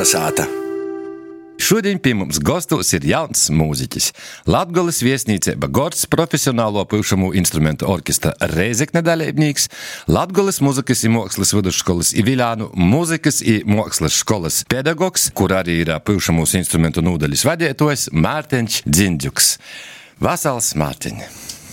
Kalnasāta. Šodien pie mums gastos ir jauns mūziķis. Latgoles viesnīceiba Gords profesionālo pušamo instrumentu orkestra Rēzekne dalībnieks, Latgoles muzikas i mākslas vidusškolas i Viļānu muzikas i mākslas školas pedagogs, kur arī ir pušamos instrumentu nūdaļas vadētojs Mārtiņš Dziņģuks. Vasals, Mārtiņ.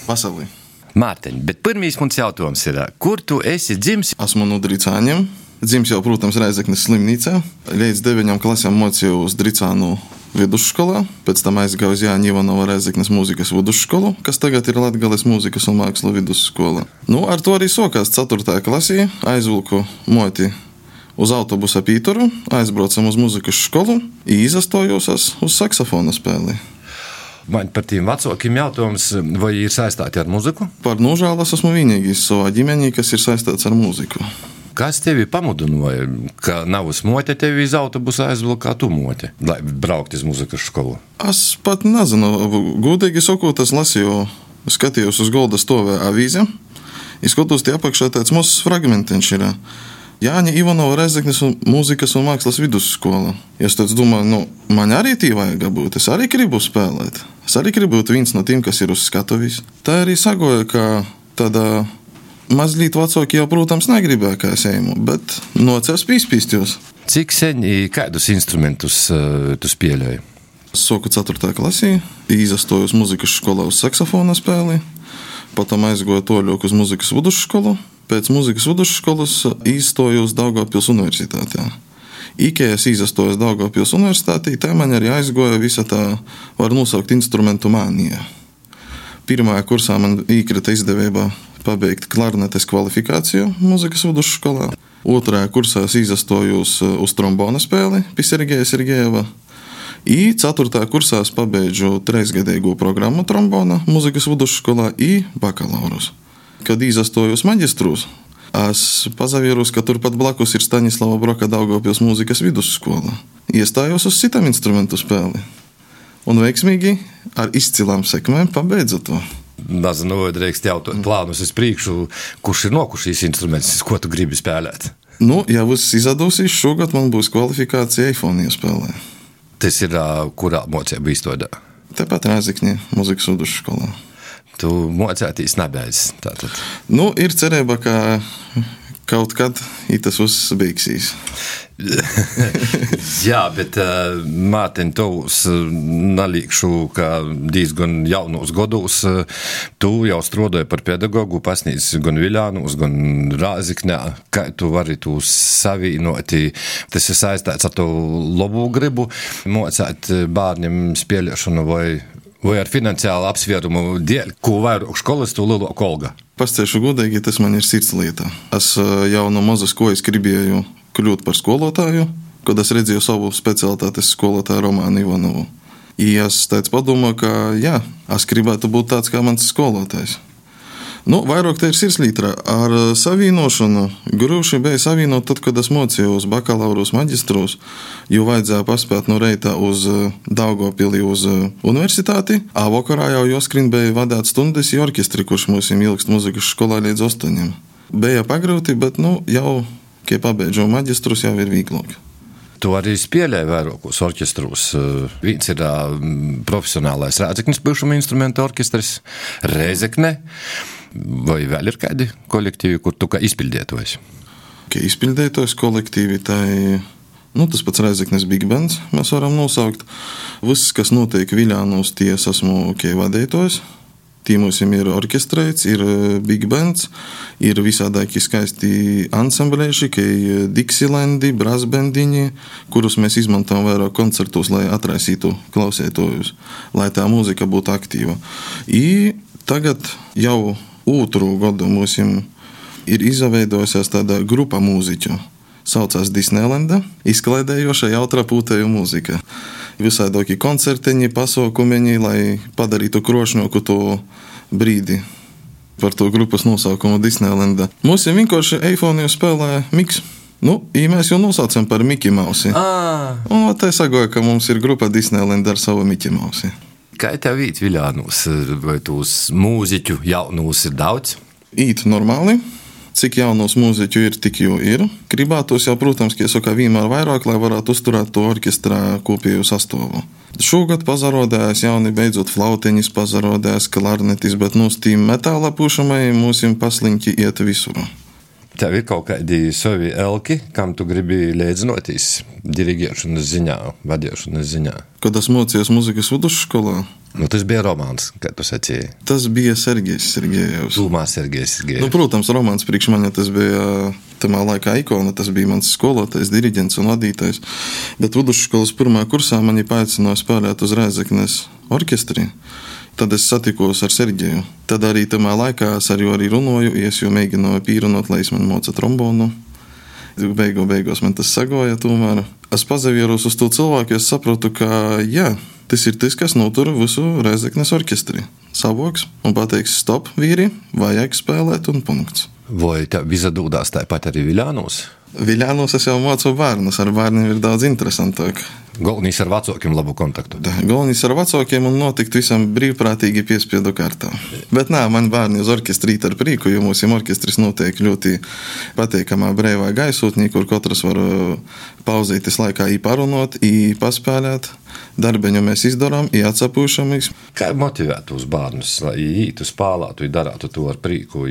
Vasali. Mārtiņ, bet pirmīs mums jautājums ir, kur tu esi dzimis? Esmu no Dricāņiem. Dzimis jau, protams, Rēzeknes slimnīcā. Līdz 9 klasēm mocījos Dricānu vidusškolā, pēc tam aizgāju uz Jāņa Ivanova Rēzeknes mūzikas vidusškolu, kas tagad ir Latgales mūzikas un mākslu vidusskola. Ar to arī sokās 4. klasī, aizvilku moti uz autobusa Pītoru, aizbraucam uz mūzikas školu i izastojos uz saksofona spēli. Man par tiem vecākiem jautājums, vai ir saistāti ar mūziku? Par nožēlas esmu vienīgais savā ģimenī, kas ir saistāts ar mūziku. Kas tevi pamudināja, ka navas mote tevi iz autobusa aizvilka, kā tu mote, lai braukt iz mūzikas školu? Es pat nezinu, gudīgi sakot, es lasīju, skatījos uz golda stovē avīze, izskatos tie apakšā tāds mazs fragmentiņš ir. Jāņa Ivanova Rēzeknes mūzikas un mākslas vidusskola. Es tāds domāju, man arī tī vajag būt, es arī gribu spēlēt. Es arī gribu būt viens no tiem, kas ir uz skatuvis. Tā arī sagoja, ka tādā mazliet vecāki jau, protams, negribēja, kā es ejmu, bet nocēs pīspīstjos. Cik sen i kādus instrumentus tu spēlēji? Soku 4. klasī, izastojos mūzikas školā uz saksofona spēli, potom aizgoju toļok uz mūzikas vidusškolu, pēc mūzikas vidusškolas izstojos Daugavpils universitātē. Ikē es izastojos Daugavpils universitātē, tā man arī aizgoja visa tā, var nosaukt, instrumentu mānija. Pirmajā kursā man īkrita izdevībā pabeigt klarnetes kvalifikāciju mūzikas vidusškolā. 2. kursā es izastojos uz trombona spēli pie Sergeja Sergejeva. I 4. kursā es pabeidžu 3-gadīgo programmu trombona mūzikas vidusškolā i bakalaurus. Kad izastojos maģistrūs, es pazavierus, ka turpat blakus ir Staņislava Broka Daugavpils mūzikas vidusskola. Iestājos uz citam instrumentu spēli. Un veiksmīgi ar izcilām sekmēm pabeidzu to. Nezinu, vai drīkst jautāt plānus uz priekšu, kurš ir nokušīs instruments, ko tu gribi spēlēt? Ja viss izadūsīs, šogad man būs kvalifikācija eifonija spēlē. Tas ir, kurā mocība izstodā? Tepat Rēzekņē mūzikas vidusškolā. Tu mocētīs nebeidz, tātad? Ir cerība, ka kaut kad tas viss beigsies. Jā, bet Mārtiņ, tavus nalīkšu, ka diezgan jaunos gados tu jau strādāji par pedagogu, pasniedz gan Viļānos, gan Rēzeknē. Kā tu vari tu savīnoti? Tas ir saistīts ar to labu gribu mocēt bērniem spēlēšanu vai ar finansiālu apsvērumu dēļ, ko vairāk skolas, to lielāku algu? Pastāšu godīgi, tas man ir sirds lieta. Es jau no mazas kojas gribēju kļūt par skolotāju, kad es redzēju savu specialitātes skolotāju Romānu Ivanovu. Es padomāju, ka jā, es gribētu būt tāds kā mans skolotājs. Vairāk te ir sirdslītra. Ar savīnošanu grūši bija savīnot tad, kad es mocījos bakalaurus maģistrus, jo vajadzēja paspēt no reita uz Daugavpili uz universitāti, a vakarā jau joskrien bija vadāt stundas i orkestri, kurš mums ilgst muzikas skolā līdz 8. Bija pagrūti, bet jau, kad pabeidžu maģistrus, jau ir vīglāk. Tu arī spēlēji vairākos orķestrus. Viens ir profesionālais Rēzeknes pušamo instrumentu orkestris, Rēzekne. Vai vēl ir kādi kolektīvi, kur tu kā izpildētojs? Kā izpildētojs kolektīvi, tas pats Rēzeknes Big Bands mēs varam nosaukt. Viss, kas notiek Viļānos, tie esmu kā vadētojs. Tī mums ir orkestrēts, ir Big Bands, ir visādāki skaisti ansamblēši, kā Dixilandi, brasbendiņi, kurus mēs izmantojam vairāk koncertos, lai atraisītu klausētojus, lai tā mūzika būtu aktīva. I tagad jau 2. gadu mums ir izveidojusies tāda grupa mūziķu. Saucās Disneylanda, izklaidējoša jautra pūtēju mūzika. Visādāki koncerteņi, pasaukumeņi, lai padarītu krošņoku to brīdi par to grupas nosaukumu Disneylanda. Mums vienkārši eifoniju spēlē Miks. Mēs jau nosaucam par Miki Mausi. Un tā sagoja, ka mums ir grupa Disneylanda ar savu Miki Mausi. Kā tev īt Viļānos? Vai tūs mūziķu jaunos ir daudz? Īt normāli. cik jaunos mūziķu ir, tik jau ir. Gribētos jau, protams, kā vienmēr vairāk, lai varētu uzturēt to orķestrā kopējo sastāvu. Šogad pazarodējās jauni beidzot flautiņas, pazarodējās klarnetis, bet no stīm metāla pušamai mūsim pasliņķi iet visur. Tev ir kaut kādi savi elki, kam tu gribi līdzinoties dirigēšanas ziņā, vadīšanas ziņā? Kad es mocījos muzikas vidusskolā, Tas bija romāns, kā tu sacīji. tas bija Sergejs Sergejevs. Tūmā Sergejs Sergejevs. Protams, romāns priekš mani tas bija tamā laikā ikona, tas bija mans skolotājs, diriģents un vadītājs. Bet vidusskolas pirmā kursā mani paaicināja spēlēt uz Rēzeknes orķestri. Tad es satikos ar Sergeju. Tad arī tamā laikā es arī runāju, es jau mēģināju pīrunot, lai es man moca trombonu. Beigās man tas sagoja tomēr. Es pazavieros uz to cilvēku, es saprotu, ka jā, tas ir tas, kas notur visu Rēzeknes orķestri. Savoks un pateiks stop, vīri, vajag spēlēt un punkts. Vai tev izadūdās tāpat arī Viļānos? Viļānos es jau mācu bērnus, ar bērniem ir daudz interesantāk. Galvenais ar vecākiem labu kontaktu. Galvenais ar vecākiem un notikt visam brīvprātīgi piespiedu kārtā. Bet nā, man bērni uz orķestri ar prīku, jo mūsu orķestris notiek ļoti pateikamā breivā gaisotnī, kur katrs var pauzītis laikā parunot, paspēlēt. Darbeņu mēs izdarām, atsapūšamies. Kā motivēt uz bērnus, lai ītu spēlētu, darātu to ar prīku,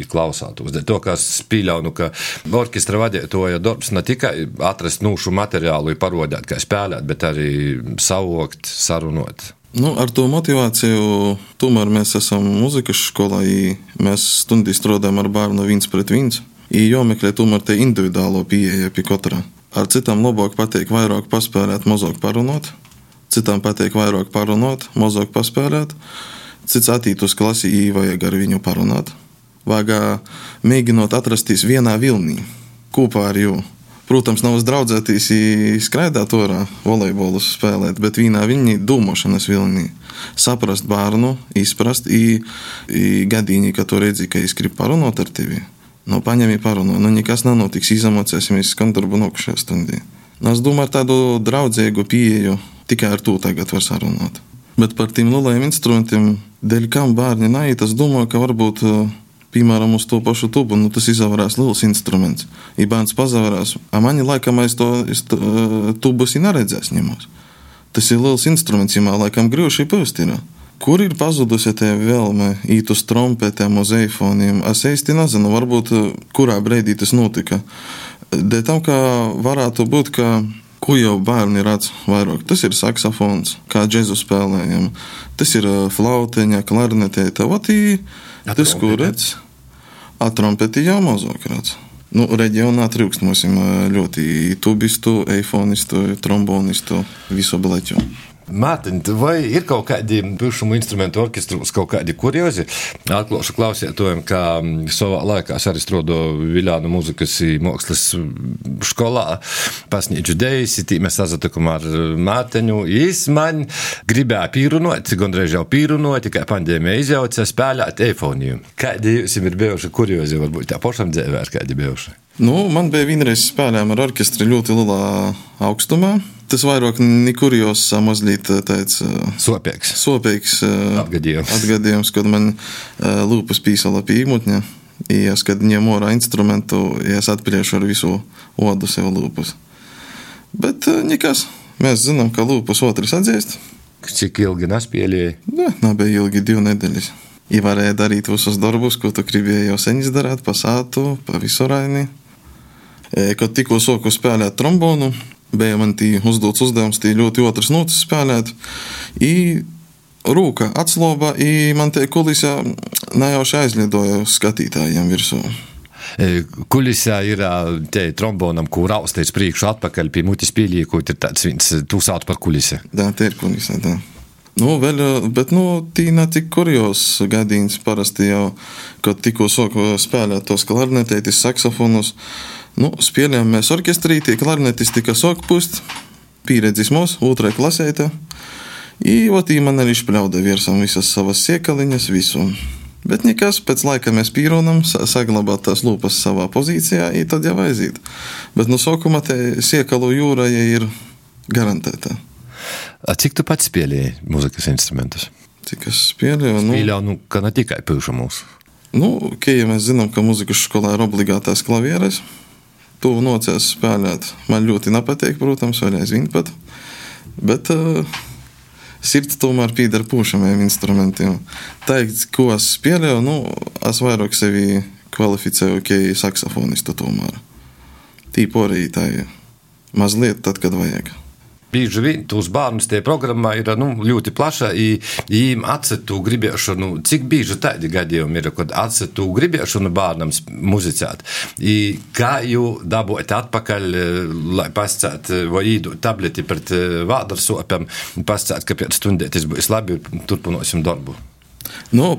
klausātos? To, kā es pīļaunu, ka orķestra vadītāja darbs ne tikai atrast nūšu materiālu, parodēt, kā spēlēt, bet arī savokt, sarunot. Ar to motivāciju tomēr mēs esam muzikas skolā, mēs stundī strādājam ar bērnu 1-1, jomeklē tomēr te individuālo pieeja pie katra. Ar citām labāk pateik vairāk paspēlēt, mazāk parunot. Citām pateik vairāk parunot, mazāk paspēlēt. Cits attīt uz klasi, vajag ar viņu parunāt. Vajag mēģinot atrasties vienā vilnī, kopā ar jū. Protams, nav uzdraudzētīs skraidāt orā, volejbolus spēlēt, bet vienā vilnī, domāšanas vilnī. Saprast bērnu, izprast, gadīņi, ka tu redzi, ka es gribu parunot ar tevi. Paņemi parunot, nekas nenotiks, izamocēsimies skandarbu nokušajā stundī. Es domāju, ar tādu draudzīgu pieeju tikai ar to tagad var sarunāt. Bet par tiem lielajiem instrumentiem, dēļ kam bērni naiet, es domāju, ka varbūt, piemēram, uz to pašu tubu, tas izavarās liels instruments. Bērns pazavarās, mani laikam es tubus neredzēs ņemos. Tas ir liels instruments, laikam grūši pēst ir. Kur ir pazudusi te vēlme īt uz trompetēm, uz eifoniem? Es īsti nezinu, varbūt kurā breidī tas notika. Dēļ tam, ka varētu būt, ka ko jau bērni redz vairāk. Tas ir saksofons, kā džezu spēlējam. Tas ir flauteņa, klarnetēta. Tas, ko redz. Trompeti jau mazāk redz. Reģionā trūkst mums ļoti tubistu, eifonistu, trombonistu, visu bleķu. Mārtiņ, vai ir kaut kādi pušumu instrumentu orķestrus, kaut kādi kuriozi? Atklāšu klausietojiem, kā savā laikā es arī strādāju Viļānu muzikas mākslas skolā, pasniedzu dejas, mēs sazatikam ar Mārtiņu. Jis man gribēja pīrunot, gondreiz jau pīrunot, kā pandēmija izjauca, spēlēt eifoniju. Kādi jums ir bijuši kuriozi, varbūt tā pašam dzēvē ar kādi bijuši? Man bija vienreiz spēlējām ar orķestri ļoti lielā augstumā. Tas vairāk nekurjos mazliet tāds sopīgs atgadījums, kad man lūpas pīsala pie īmutņa. Kad ņem orā instrumentu, es atpriešu ar visu odu sev lūpas. Bet nekas, mēs zinām, ka lūpas otrs atzīst. Cik ilgi nespēlēja? Nebija ilgi 2 nedēļas. Varēja darīt visus darbus, ko tu gribēji jau sen izdarāt, pa sātu, pa visu raini. Kad tikko soku spēlēt trombonu, bija man tī uzdots uzdevums tī ļoti otras notis spēlēt. Rūka atsloba, man te kulisā nejauši aizlidoja skatītājiem virsū. Kulisā ir te trombonam, kur raustais priekšu atpakaļ pie mutis pieliekot, ir tāds viens, tu sauc par kulisi. Te ir kulisā, tā. Bet tī ne tik kurjos gadījums parasti jau, kad tikko soku spēlēt tos klarnetētis, saksofonus. Spēlējām mēs orķestrī, tie klarnetis tika sok pust, pieredzis mūs, 2. klasēta. Man arī špļauda virsam visas savas siekaliņas, visu. Bet nekas, pēc laika mēs pīronam, saglabāt tās lūpas savā pozīcijā, tad jau aiziet. Bet sokuma te siekalu jūra ir garantēta. Cik tu pats spēlēji muzikas instrumentus? Cik es spēlēju? Spēlēju, ka ne tikai pušumus. Ja mēs zinām, ka muzikas skolā ir obligātās klavieres, to nocēs spēlēt. Man ļoti nepatīk, protams, vēl aizvien pat. Bet sirds tomēr pīdar pūšamajiem instrumentiem. Teikt, ko es spēlēju, es vairāk sevi kvalificēju, saksofonistu tomēr. Tīporī tā ir mazliet tad, kad vajag. Bieži vien tūs bērnus tie programmā ir ļoti plaša, jīm atcetu gribēšanu, cik bieži tādi gadījumi ir, kad atcetu gribēšanu bērnam muzicēt. Kā jū dabūjat atpakaļ, lai pascēt, vai īdot tableti pret vādarsopiem, pascēt, ka pēc stundētis būs labi, turpinosim darbu.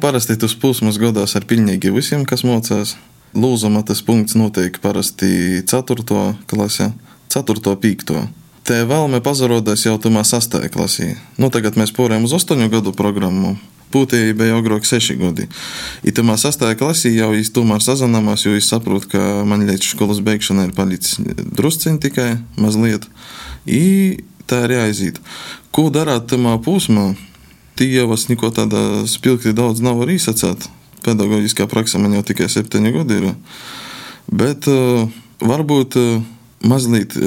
Parasti tas posms godās ar pilnīgi visiem, kas mocās. Lūzuma tas punkts notiek parasti 4. klasē, 4. 5. Te vēlme pazarodēs jau tumā 6. klasī. Tagad mēs porējam uz 8 gadu programmu. Būtībā bija agrāk 6 gadi. I tumā 6. klasī jau es tomēr sazināmās, jo es saprotu, ka man līdz skolas beigšanai ir palicis drusciņ tikai mazliet. I tā ir jāiziet. Ko darāt tumā posmā? Tī jau es neko tāda spilgti daudz nav var īsacēt. Pedagoģiskā praksa man jau tikai 7 gadi ir. Bet varbūt mazliet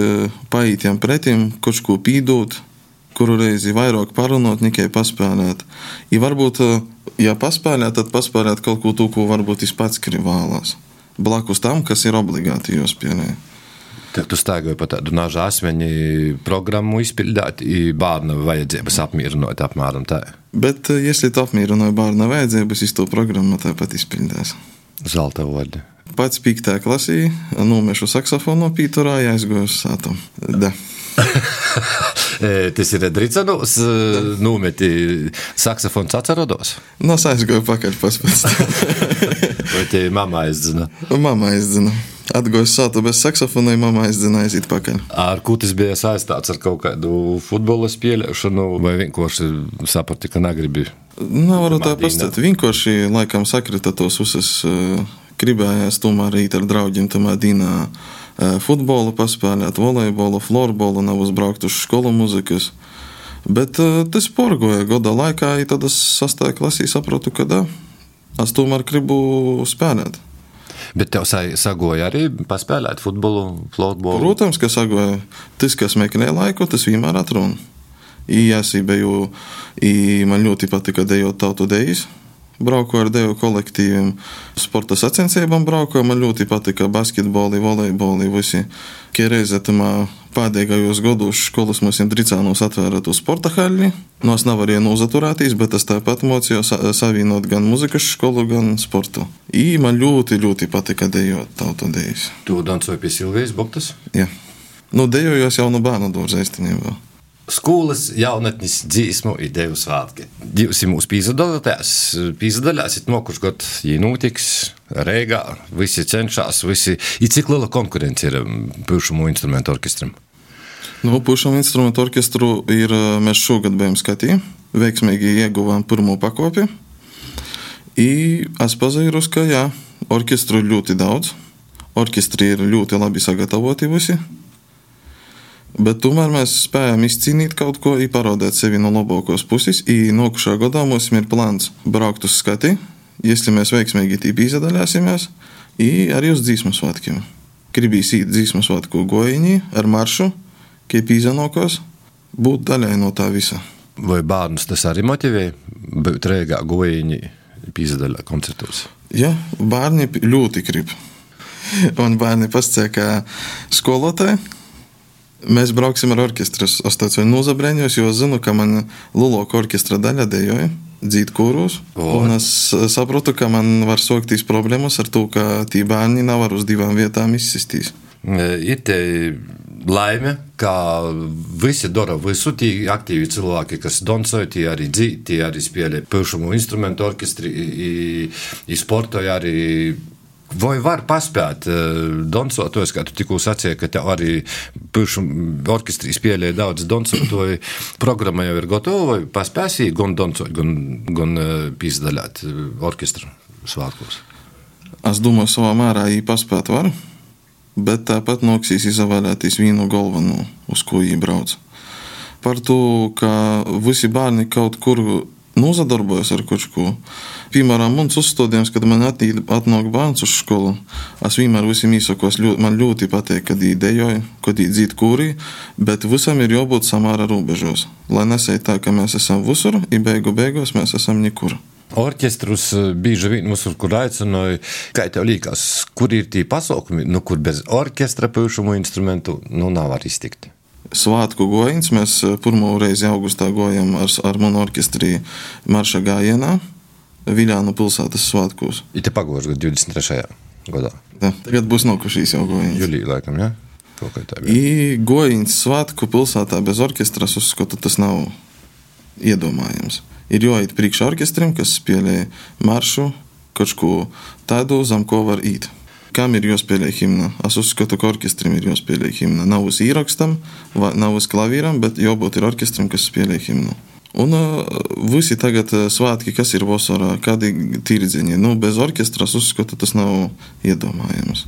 paītiem pretim, kaut ko pīdot, kuru reizi vairāk parunot, nekai paspēlēt. I varbūt, ja paspēlēt, tad paspēlēt kaut ko to, ko varbūt es pats vēlās. Blakus tam, kas ir obligāti jāspēlē. Tad tu staigāji pa tādu nažu asmeņu programmu izpildāt, i bērna vajadzības apmierinot apmēram tā. Bet, ja tu apmierinoji bērna vajadzības, es to programmu tāpat izpildās. Zelta vodi. Pats 5. klasī nomešu saksofonu pīturā, aizgoju uz sātu. Da. Tas ir Dricanos, nometi saksofons atcerodos? Es aizgoju pakaļ paspēc. Vai te mamma aizzina? Mamma aizzina. Atgoju sātu bez saksofona, mamma aizzina aiziet pakaļ. Ar ko tas bija saistāts ar kaut kādu futbola spēlēšanu, vai vienkārši saprati, ka negribi? Varu tā pastāstīt. Vienkārši laikam sakrita tos visas gribējās tomēr īt ar draugiem tomēr dīnā futbolu paspēlēt, volejbolu, florbolu, nav uzbraukt uz skolu muzikas. Bet tas porgoja goda laikā, i tad es 6. klasī saprotu, ka es tomēr gribu spēlēt. Bet tev sagoja arī paspēlēt futbolu, florbolu? Protams, ka sagoja. Tas, kas meklē laiku, tas vienmēr atruna. Jāsībeju, man ļoti patika dejot tautu dejas. Braukoju ar deju kolektīviem, sporta sacensībām braukoju, man ļoti patika basketboli, volejboli, visi. Kiereiz pēdējos gados skolas mums Dricānos atvēra to sporta haļi. Es nevarēju nozaturēties, bet es tāpat mocīju savienot gan muzikas skolu, gan sportu. Man ļoti, ļoti patika dejot tautu dejas. Tu dancoji pie Silvijas Boktas? Jā. Dejojos jau no bērnu dārza īstenībā. Skolas jaunatnes dzīsmu ideju svātki. Jūs mūs pīzadaļāsit nokurš god, ja notiks Reigā, visi cenšās, visi. I cik liela konkurence ir pušamu instrumentu orkestram? Pušamu instrumentu orkestru mēs šogad bijām skatī, veiksmīgi ieguvām pirmo pakopi. Es pazīrus, ka orkestru ir ļoti daudz, orkestri ir ļoti labi sagatavoti visi. Bet tomēr mēs spējam izcīnīt kaut ko, parādīt sevi no labākos puses. Nokušā gadā mums ir plāns braukt uz skati, ja mēs veiksmīgi tīpi izadaļāsimies, arī uz dzīsmu svētkiem. Gribīs īt dzīsmu svētku gojiņī ar maršu, kā pīzanokos, būt daļai no tā visa. Vai bērnus tas arī motivē būt Reigā gojiņī pīzadaļā koncertos? Jā, bērni ļoti grib. Un bērni pasacīja, ka skolotāji, mēs brauksim ar orkestru. Es tāds vēl nozabreņos, jo es zinu, ka man Luloka orkestra daļa dejoja, dzīt kūrus. Un es saprotu, ka man var soktīs problēmas ar to, ka tī bērni nevar uz 2 vietām izsistīs. Ir te laime, ka visi dara visu, tī aktīvi cilvēki, kas dancoja, tī arī dzīt, tī arī spēlē pušamu instrumentu orkestri, i sportoja arī. Vai var paspēt dancotojus, kā tu tikko sacīji, ka tev arī pušamu orkestrī spēlē daudz dancotoju, programma jau ir gatova, vai paspēsī gan dancot, gan pīzdaļāt orkestru svātkos? Es domāju, savā mērā paspēt var, bet tāpat noksīs izvēlēties vienu galveno, uz ko brauc. Par to, ka visi bērni kaut kur nozadarbojas ar kaut ko. Piemēram, mans uzstādījums, kad man atnāk bērns uz skolu, es vienmēr visiem īsakos, man ļoti patīk, kad viņi dejoja, kad viņi dzīt kūrī, bet visam ir jābūt samāra robežos. Lai nesēj tā, ka mēs esam visur, i beigās mēs esam nekur. Orķestrus bieži vien mums kur aicināja, kā tev liekas, kur ir tī pasaukumi, kur bez orķestra pušumu instrumentu nav var iztikt? Svātku gojiņš. Mēs pirmo reizi augustā gojam ar manu orķestrī marša gājienā Viļānu pilsētas svētkos. Ite pagošu gadu 23. gadā. Da, tagad būs nokušīs jau gojiņš. Julija laikam, ja? I gojiņš svētku pilsētā bez orķestras uzskatu, tas nav iedomājams. Ir jāiet priekšā orķestrim, kas spēlē maršu, kaut ko tādu, zem ko var īt. Kam ir jāspēlē himna? Es uzskatu, ka orķestrim ir jāspēlē himna. Nav uz īrakstam, nav uz klavīram, bet jābūt ir orķestrim, kas spēlē himnu. Un visi tagad svātki, kas ir vasarā, kādi tirdziņi. Bez orķestras uzskatu, tas nav iedomājams.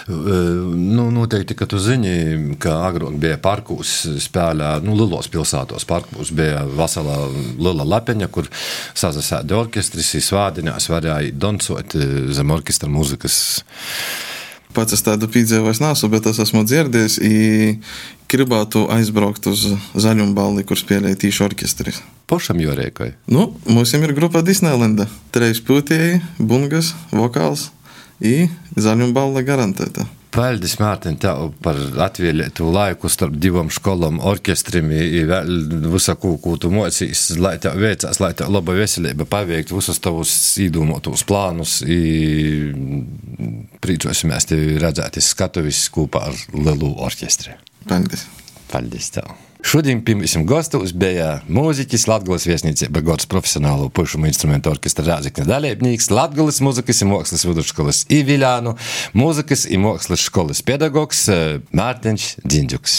Noteikti, ka tu zini, ka agrāk bija parkūs spēlē, lielos pilsētos parkūs bija veselā liela lapeņa, kur sazasēda orķestris, svādiņās varēja dancot zem orķestra mūzikas. Pats es tādu piedzīvojis nesu, bet es esmu dzirdējis, gribētu aizbraukt uz Zaļumballi, kur spēlēja tīši orķestris. Pošam jorēkai? Mums ir grupa Disneylanda. 3 pūtēji, bungas, vokāls. I Zaļumballa garantēta. Paldies, Mārtiņ, tev par atvēlētu laiku starp 2 školām, orķestrim i vēl visaku, ko tu mocīs, lai tev veicās, lai tev laba veselība paveikt visus tavus īdomātos plānus i priecosimies tevi redzēt skatuvis kopā ar lielu orķestri. Paldies. Paldies tev. Šodien pie mums gastos bija mūziķis, Latgales viesnīcība gods profesionālo pušumu instrumentu orķestra Rāzikne dalībnieks, Latgales mūzikas i mākslas vidusskolas i Viļānu mūzikas i mākslas školas pedagogs Mārtiņš Dziņģuks.